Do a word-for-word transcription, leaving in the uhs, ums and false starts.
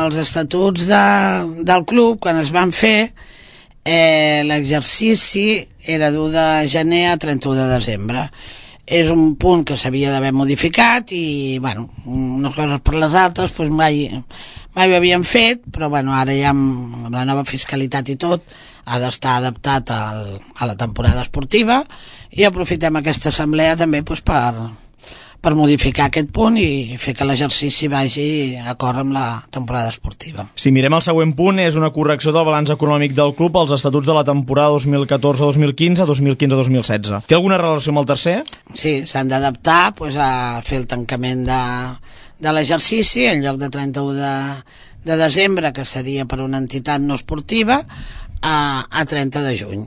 els estatuts de, del club, quan es van fer, eh, l'exercici era d'u de gener a trenta-u de desembre. És un punt que s'havia d'haver modificat i, bueno, unes coses per les altres doncs mai, mai ho havíem fet, però bueno, ara ja amb, amb la nova fiscalitat i tot ha d'estar adaptat al, a la temporada esportiva i aprofitem aquesta assemblea també doncs, per, per modificar aquest punt i fer que l'exercici vagi d'acord amb la temporada esportiva. Si mirem el següent punt, és una correcció del balanç econòmic del club als estatuts de la temporada dos mil catorze dos mil quinze, dos mil quinze dos mil setze. Té alguna relació amb el tercer? Sí, s'han d'adaptar doncs, a fer el tancament de, de l'exercici en lloc de trenta-u de, de desembre, que seria per una entitat no esportiva, a, a trenta de juny.